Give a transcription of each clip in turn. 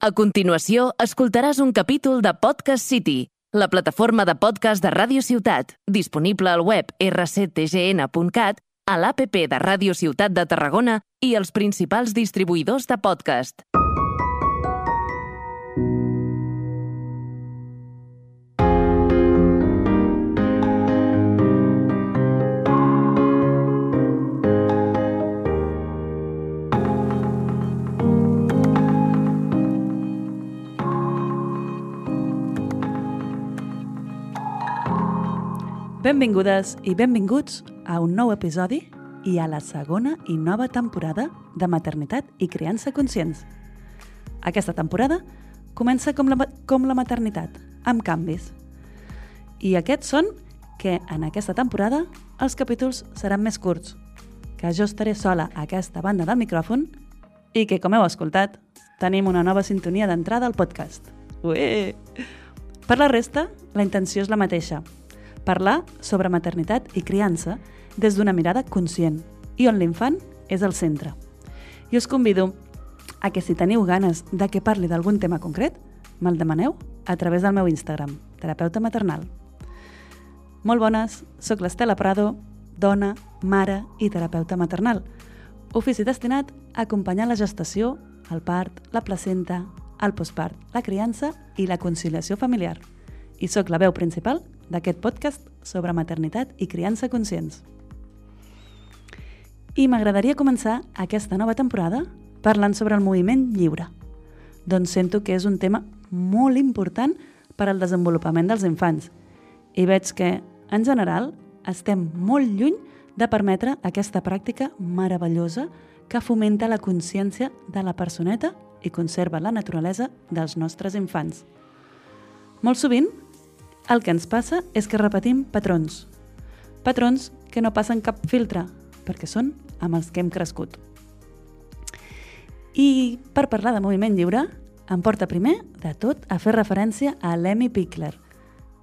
A continuació, escoltaràs un capítol de Podcast City, la plataforma de podcast de Ràdio Ciutat, disponible al web rctgn.cat, a l'APP de Ràdio Ciutat de Tarragona i els principals distribuïdors de podcast. Benvingudes i benvinguts a un nou episodi i a la segona i nova temporada de Maternitat i Criança Conscients. Aquesta temporada comença com la maternitat, amb canvis. I aquests són que en aquesta temporada els capítols seran més curts, que jo estaré sola a aquesta banda del micròfon i que, com heu escoltat, tenim una nova sintonia d'entrada al podcast. Ué! Per la resta, la intenció és la mateixa, parlar sobre maternitat i criança des d'una mirada conscient i on l'infant és el centre. I us convido a que si teniu ganes de que parli d'algun tema concret, me'l demaneu a través del meu Instagram, terapeuta maternal. Molt bones, soc l'Estela Prado, dona, mare i terapeuta maternal. Ofici destinat a acompanyar la gestació, el part, la placenta, el postpart, la criança i la conciliació familiar. I sóc la veu principal d'aquest podcast sobre maternitat i criança conscients. I m'agradaria començar aquesta nova temporada parlant sobre el moviment lliure, doncs sento que és un tema molt important per al desenvolupament dels infants i veig que, en general, estem molt lluny de permetre aquesta pràctica meravellosa que fomenta la consciència de la personeta i conserva la naturalesa dels nostres infants. Molt sovint, el que ens passa és que repetim patrons. Patrons que no passen cap filtre, perquè són amb els que hem crescut. I per parlar de moviment lliure, em porta primer de tot a fer referència a Lemmy Pickler,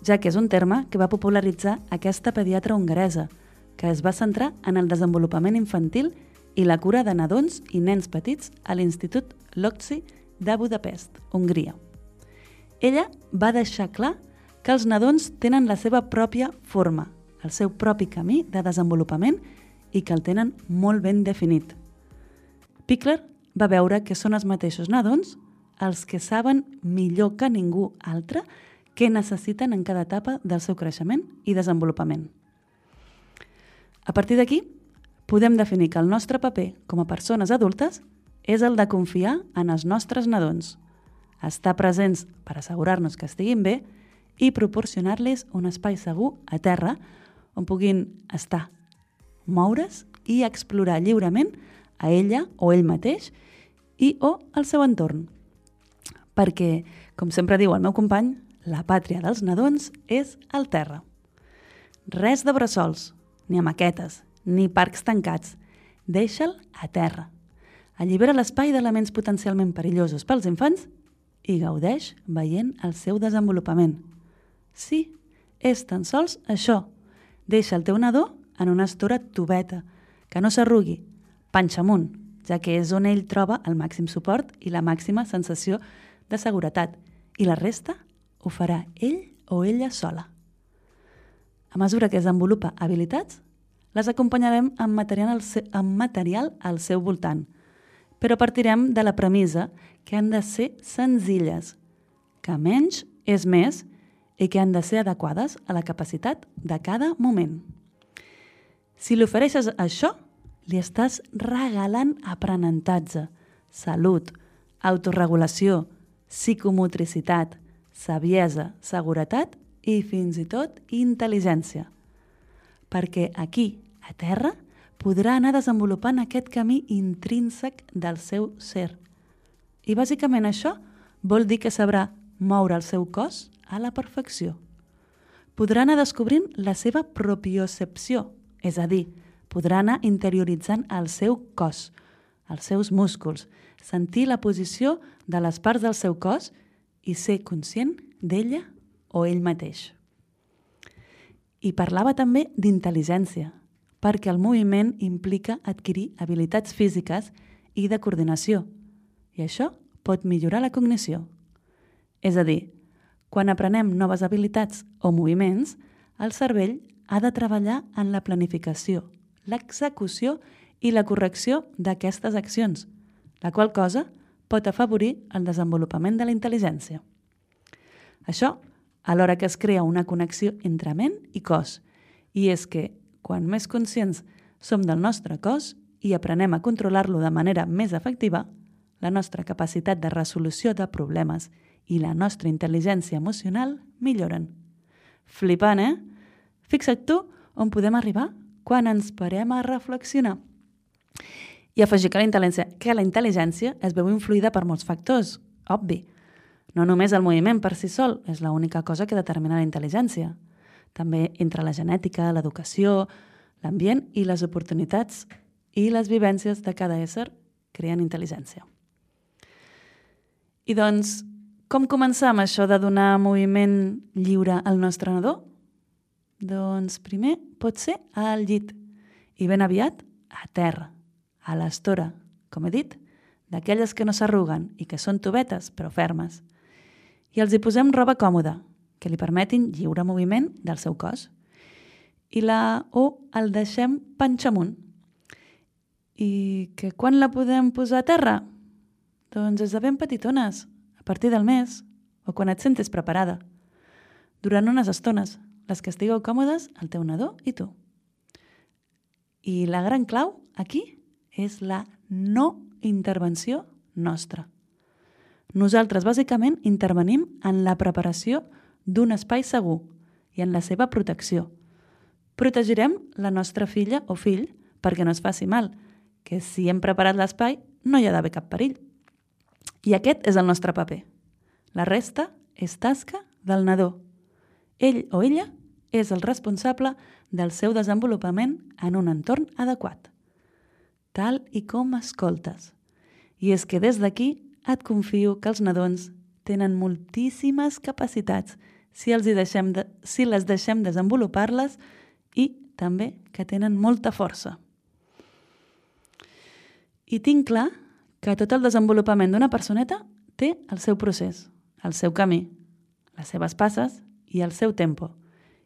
ja que és un terme que va popularitzar aquesta pediatra hongaresa, que es va centrar en el desenvolupament infantil i la cura de nadons i nens petits a l'Institut Lóczy de Budapest, Hongria. Ella va deixar clar que els nadons tenen la seva pròpia forma, el seu propi camí de desenvolupament i que el tenen molt ben definit. Pickler va veure que són els mateixos nadons els que saben millor que ningú altre què necessiten en cada etapa del seu creixement i desenvolupament. A partir d'aquí, podem definir que el nostre paper com a persones adultes és el de confiar en els nostres nadons, estar presents per assegurar-nos que estiguin bé i proporcionar-los un espai segur a terra on puguin estar, moure's i explorar lliurement a ella o ell mateix i o el seu entorn. Perquè, com sempre diu el meu company, la pàtria dels nadons és el terra. Res de bressols, ni maquetes, ni parcs tancats. Deixa'l a terra. Allibera l'espai d'elements potencialment perillosos pels infants i gaudeix veient el seu desenvolupament. Sí, és tan sols això. Deixa el teu nadó en una estora tubeta, que no s'arrugui, panxa amunt, ja que és on ell troba el màxim suport i la màxima sensació de seguretat, i la resta ho farà ell o ella sola. A mesura que desenvolupa habilitats, les acompanyarem amb material al seu voltant, però partirem de la premissa que han de ser senzilles, que menys és més i que han de ser adequades a la capacitat de cada moment. Si li ofereixes això, li estàs regalant aprenentatge, salut, autorregulació, psicomotricitat, saviesa, seguretat i fins i tot intel·ligència. Perquè aquí, a terra, podrà anar desenvolupant aquest camí intrínsec del seu ser. I bàsicament això vol dir que sabrà moure el seu cos a la perfecció. Podrà anar descobrint la seva propiocepció, és a dir, podrà anar interioritzant el seu cos, els seus músculs, sentir la posició de les parts del seu cos i ser conscient d'ella o ell mateix. I parlava també d'intel·ligència, perquè el moviment implica adquirir habilitats físiques i de coordinació, i això pot millorar la cognició. És a dir, quan aprenem noves habilitats o moviments, el cervell ha de treballar en la planificació, l'execució i la correcció d'aquestes accions, la qual cosa pot afavorir el desenvolupament de la intel·ligència. Això alhora que es crea una connexió entre ment i cos, i és que, quan més conscients som del nostre cos i aprenem a controlar-lo de manera més efectiva, la nostra capacitat de resolució de problemes i la nostra intel·ligència emocional milloren. Flipant, eh? Fixa't tu on podem arribar quan ens parem a reflexionar. I afegir que la intel·ligència es veu influïda per molts factors, obvi. No només el moviment per si sol és l'única cosa que determina la intel·ligència. També entre la genètica, l'educació, l'ambient i les oportunitats i les vivències de cada ésser creen intel·ligència. I doncs, com començar amb això de donar moviment lliure al nostre nadó? Doncs primer pot ser al llit i ben aviat a terra, a l'estora, com he dit, d'aquelles que no s'arruguen i que són tovetes però fermes. I els hi posem roba còmoda, que li permetin lliure moviment del seu cos. O el deixem panxa amunt. I que quan la podem posar a terra? Doncs des de ben petitones, a partir del mes, o quan et sentis preparada. Durant unes estones, les que estigueu còmodes, el teu nadó i tu. I la gran clau aquí és la no intervenció nostra. Nosaltres, bàsicament, intervenim en la preparació d'un espai segur i en la seva protecció. Protegirem la nostra filla o fill perquè no es faci mal, que si hem preparat l'espai no hi ha d'haver cap perill. I aquest és el nostre paper. La resta és tasca del nadó. Ell o ella és el responsable del seu desenvolupament en un entorn adequat, tal i com escoltes. I és que des d'aquí et confio que els nadons tenen moltíssimes capacitats si les deixem desenvolupar-les i també que tenen molta força. I tinc clar que tot el desenvolupament d'una personeta té el seu procés, el seu camí, les seves passes i el seu tempo.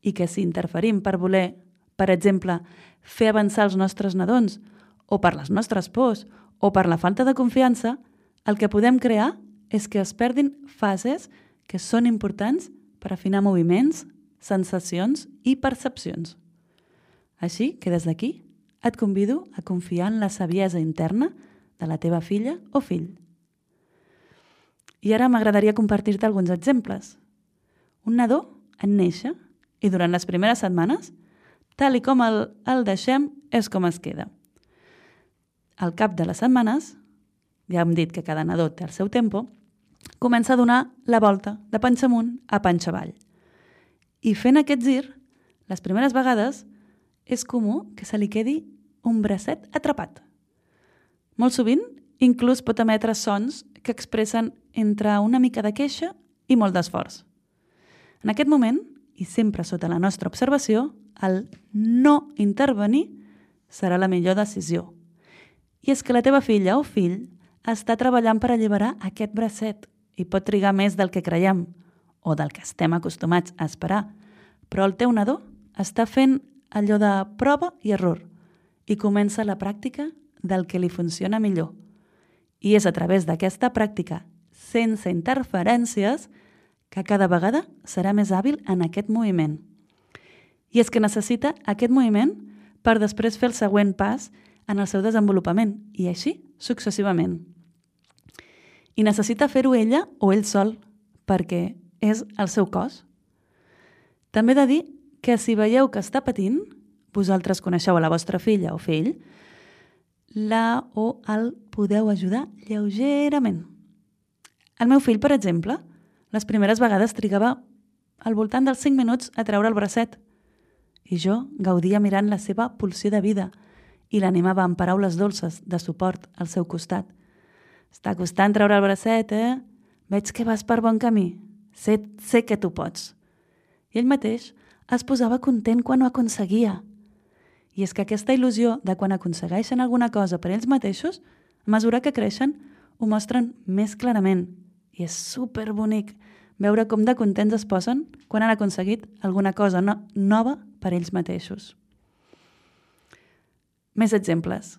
I que si interferim per voler, per exemple, fer avançar els nostres nadons, o per les nostres pors, o per la falta de confiança, el que podem crear és que es perdin fases que són importants per afinar moviments, sensacions i percepcions. Així que des d'aquí et convido a confiar en la saviesa interna de la teva filla o fill. I ara m'agradaria compartir-te alguns exemples. Un nadó en néixer i durant les primeres setmanes, tal i com el deixem, és com es queda. Al cap de les setmanes, ja hem dit que cada nadó té el seu tempo, comença a donar la volta de panxa amunt a panxa avall. I fent aquest gir, les primeres vegades, és comú que se li quedi un bracet atrapat. Molt sovint, inclús pot emetre sons que expressen entre una mica de queixa i molt d'esforç. En aquest moment, i sempre sota la nostra observació, el no intervenir serà la millor decisió. I és que la teva filla o fill està treballant per alliberar aquest bracet i pot trigar més del que creiem o del que estem acostumats a esperar, però el teu nadó està fent allò de prova i error i comença la pràctica del que li funciona millor. I és a través d'aquesta pràctica, sense interferències, que cada vegada serà més hàbil en aquest moviment. I és que necessita aquest moviment per després fer el següent pas en el seu desenvolupament, i així successivament. I necessita fer-ho ella o ell sol, perquè és el seu cos. També he de dir que si veieu que està patint, vosaltres coneixeu a la vostra filla o fill, la o el podeu ajudar lleugerament. El meu fill, per exemple, les primeres vegades trigava al voltant dels 5 minuts a treure el bracet i jo gaudia mirant la seva pulsió de vida i l'animava amb paraules dolces de suport al seu costat. Està costant treure el bracet, eh? Veig que vas per bon camí. Sé que tu pots. I ell mateix es posava content quan ho aconseguia. I és que aquesta il·lusió de quan aconsegueixen alguna cosa per ells mateixos, a mesura que creixen, ho mostren més clarament i és superbonic veure com de contents es posen quan han aconseguit alguna cosa nova per ells mateixos. Més exemples.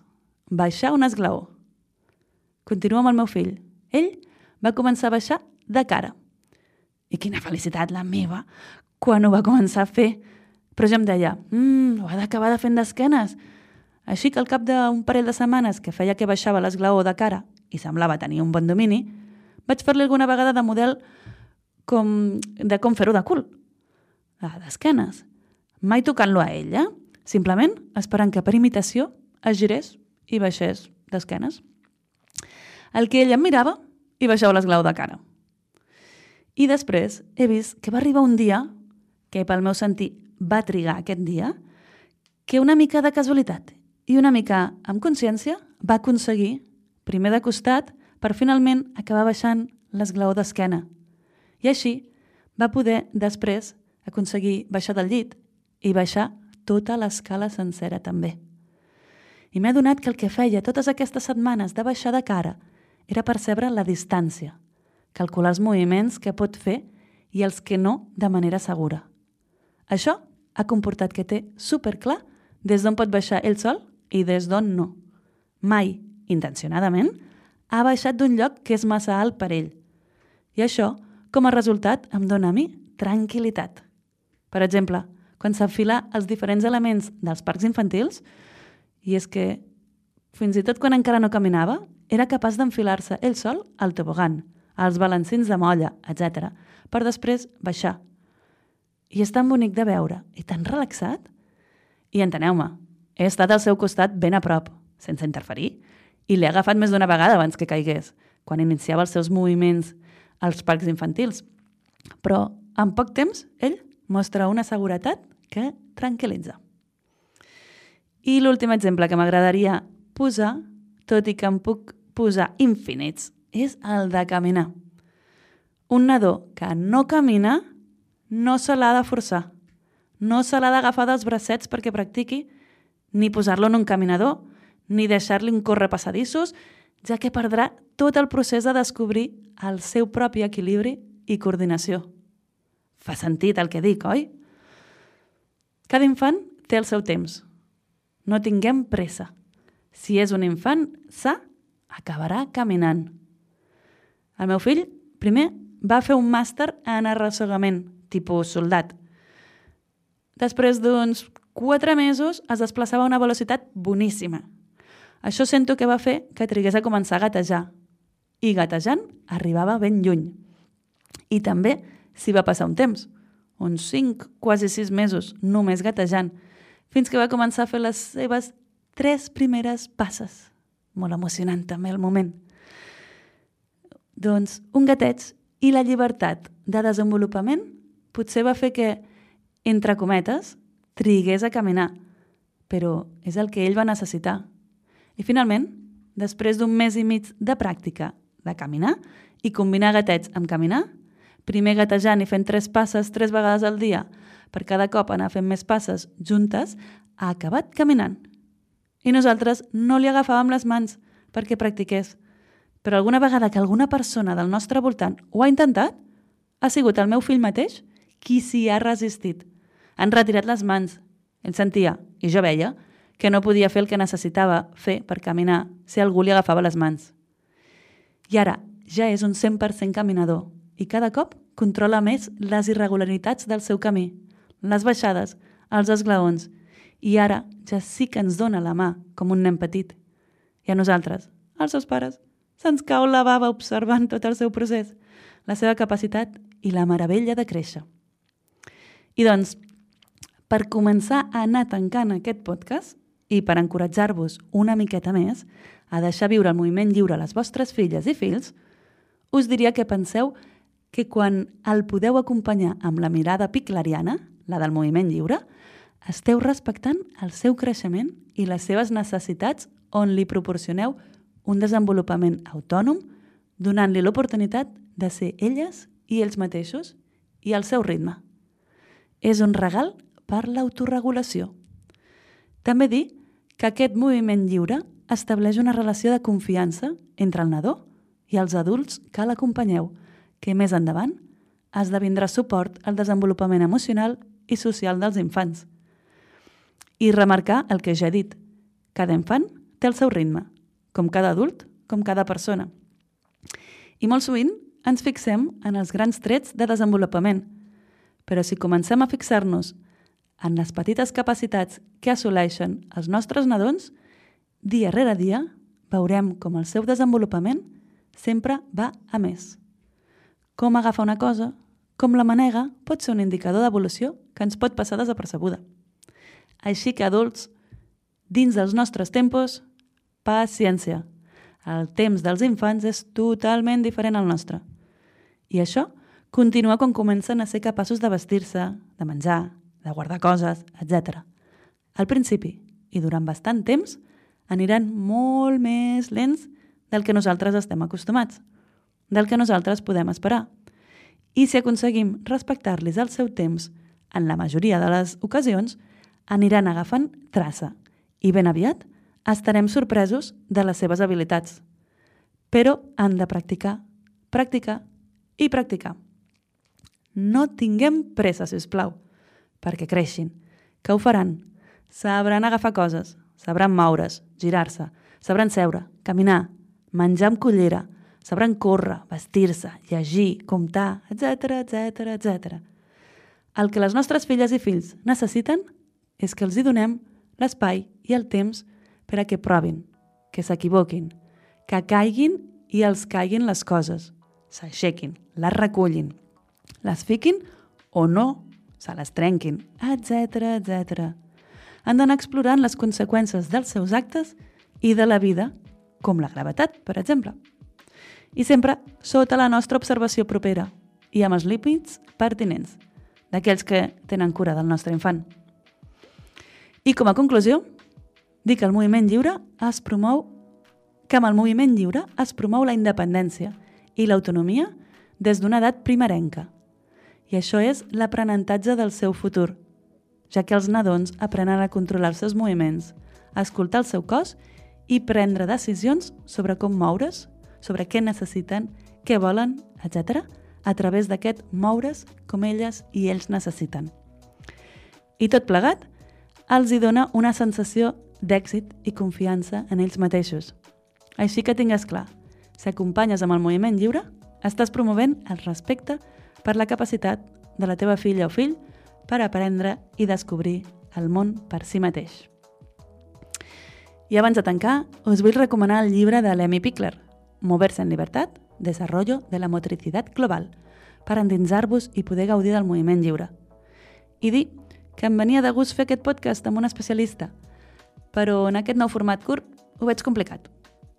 Baixar un esglaó. Continuo amb el meu fill. Ell va començar a baixar de cara. I quina felicitat la meva quan ho va començar a fer. Però ja em deia, ho ha d'acabar de fent d'esquenes. Així que al cap d'un parell de setmanes que feia que baixava l'esglaó de cara i semblava tenir un bon domini, vaig fer-li alguna vegada de model com fer-ho de cul, d'esquenes. Mai tocant-lo a ell, simplement esperant que per imitació es girés i baixés d'esquenes. El que ell em mirava i baixava l'esglaó de cara. I després he vist que va arribar un dia, que pel meu sentir va trigar aquest dia, que una mica de casualitat i una mica amb consciència va aconseguir, primer de costat, per finalment acabar baixant l'esglaó d'esquena. I així va poder després aconseguir baixar del llit i baixar tota l'escala sencera també. I m'he adonat que el que feia totes aquestes setmanes de baixar de cara era percebre la distància, calcular els moviments que pot fer i els que no de manera segura. Això ha comportat que té superclar des d'on pot baixar ell sol i des d'on no. Mai, intencionadament, ha baixat d'un lloc que és massa alt per ell. I això, com a resultat, em dona a mi tranquil·litat. Per exemple, quan s'enfila els diferents elements dels parcs infantils, i és que fins i tot quan encara no caminava, era capaç d'enfilar-se ell sol al tobogan, als balancins de molla, etc., per després baixar. I és tan bonic de veure i tan relaxat. I enteneu-me, he estat al seu costat ben a prop, sense interferir, i l'he agafat més d'una vegada abans que caigués, quan iniciava els seus moviments als parcs infantils. Però en poc temps ell mostra una seguretat que tranquil·litza. I l'últim exemple que m'agradaria posar, tot i que em puc posar infinits, és el de caminar. Un nadó que no camina no se l'ha de forçar, no se l'ha d'agafar dels bracets perquè practiqui, ni posar-lo en un caminador, ni deixar-li un córrer passadissos, ja que perdrà tot el procés de descobrir el seu propi equilibri i coordinació. Fa sentit el que dic, oi? Cada infant té el seu temps. No tinguem pressa. Si és un infant sa, acabarà caminant. El meu fill, primer, va fer un màster en arrossegament, tipus soldat. Després d'uns 4 mesos es desplaçava a una velocitat boníssima. Això sento que va fer que trigués a començar a gatejar. I gatejant arribava ben lluny. I també s'hi va passar un temps, uns 5, quasi 6 mesos, només gatejant, fins que va començar a fer les seves 3 primeres passes. Molt emocionant també el moment. Doncs un gateig i la llibertat de desenvolupament potser va fer que, entre cometes, trigués a caminar, però és el que ell va necessitar. I finalment, després d'un mes i mig de pràctica de caminar i combinar gateig amb caminar, primer gatejant i fent 3 passes 3 vegades al dia, per cada cop anar fent més passes juntes, ha acabat caminant. I nosaltres no li agafàvem les mans perquè practiqués. Però alguna vegada que alguna persona del nostre voltant ho ha intentat, ha sigut el meu fill mateix qui s'hi ha resistit. Han retirat les mans. Ell sentia, i jo veia, que no podia fer el que necessitava fer per caminar si algú li agafava les mans. I ara ja és un 100% caminador i cada cop controla més les irregularitats del seu camí, les baixades, els esglaons, i ara ja sí que ens dona la mà com un nen petit. I a nosaltres, als seus pares, se'ns cau la bava observant tot el seu procés, la seva capacitat i la meravella de créixer. I doncs, per començar a anar tancant aquest podcast i per encoratjar-vos una miqueta més a deixar viure el moviment lliure a les vostres filles i fills, us diria que penseu que quan el podeu acompanyar amb la mirada piclariana, la del moviment lliure, esteu respectant el seu creixement i les seves necessitats on li proporcioneu un desenvolupament autònom, donant-li l'oportunitat de ser elles i ells mateixos i al seu ritme. És un regal per l'autoregulació. També dir que aquest moviment lliure estableix una relació de confiança entre el nadó i els adults que l'acompanyeu, que més endavant esdevindrà suport al desenvolupament emocional i social dels infants. I remarcar el que ja he dit. Cada infant té el seu ritme, com cada adult, com cada persona. I molt sovint ens fixem en els grans trets de desenvolupament, però si comencem a fixar-nos en les petites capacitats que assoleixen els nostres nadons, dia rere dia veurem com el seu desenvolupament sempre va a més. Com agafar una cosa, com la manega, pot ser un indicador d'evolució que ens pot passar desapercebuda. Així que, adults, dins dels nostres tempos, paciència. El temps dels infants és totalment diferent al nostre. I això continua quan comencen a ser capaços de vestir-se, de menjar, de guardar coses, etc. Al principi, i durant bastant temps, aniran molt més lents del que nosaltres estem acostumats, del que nosaltres podem esperar. I si aconseguim respectar-los el seu temps, en la majoria de les ocasions, aniran agafant traça i ben aviat estarem sorpresos de les seves habilitats. Però han de practicar, practicar i practicar. No tinguem pressa, sisplau, perquè creixin, que ho faran. Sabran agafar coses, sabran moure's, girar-se, sabran seure, caminar, menjar amb cullera, sabran córrer, vestir-se, llegir, comptar, etc. El que les nostres filles i fills necessiten és que els hi donem l'espai i el temps per a que provin, que s'equivoquin, que caiguin i els caiguin les coses, s'aixequin, les recullin, les fiquin o no, se les trenquin, etc. Han d'anar explorant les conseqüències dels seus actes i de la vida, com la gravetat, per exemple. I sempre sota la nostra observació propera i amb els límits pertinents d'aquells que tenen cura del nostre infant. I com a conclusió, dic que amb el moviment lliure es promou la independència i l'autonomia des d'una edat primerenca. I això és l'aprenentatge del seu futur, ja que els nadons aprenen a controlar els seus moviments, a escoltar el seu cos i prendre decisions sobre com moure's, sobre què necessiten, què volen, etc., a través d'aquest moure's com elles i ells necessiten. I tot plegat els hi dona una sensació d'èxit i confiança en ells mateixos. Així que tingues clar, si acompanyes amb el moviment lliure, estàs promovent el respecte per la capacitat de la teva filla o fill per aprendre i descobrir el món per si mateix. I abans de tancar, us vull recomanar el llibre de l'Emmy Pickler, Moverse en libertad, desarrollo de la motricidad global, per endinsar-vos i poder gaudir del moviment lliure. I dir que em venia de gust fer aquest podcast amb un especialista, però en aquest nou format curt ho veig complicat.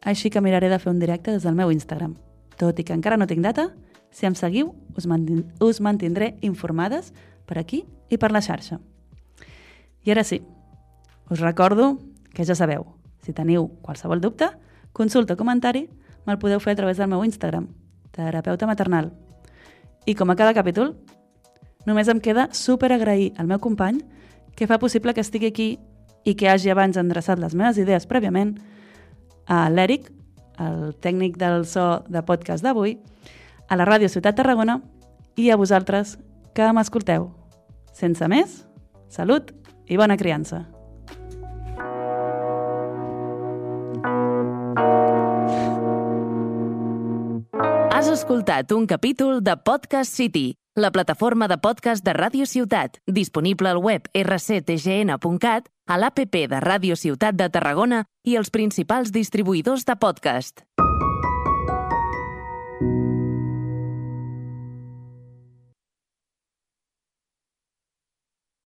Així que miraré de fer un directe des del meu Instagram. Tot i que encara no tinc data, si em seguiu, us mantindré informades per aquí i per la xarxa. I ara sí, us recordo que ja sabeu, si teniu qualsevol dubte, consulta o comentari, me'l podeu fer a través del meu Instagram, terapeuta maternal. I com a cada capítol, només em queda superagrair al meu company que fa possible que estigui aquí i que hagi abans endreçat les meves idees prèviament, a l'Eric, el tècnic del so de podcast d'avui, a la Ràdio Ciutat Tarragona i a vosaltres que m'escolteu. Sense més, salut i bona criança. Has escoltat un capítol de Podcast City, la plataforma de podcast de Ràdio Ciutat, disponible al web rctgn.cat, a l'APP de Ràdio Ciutat de Tarragona i els principals distribuïdors de podcast.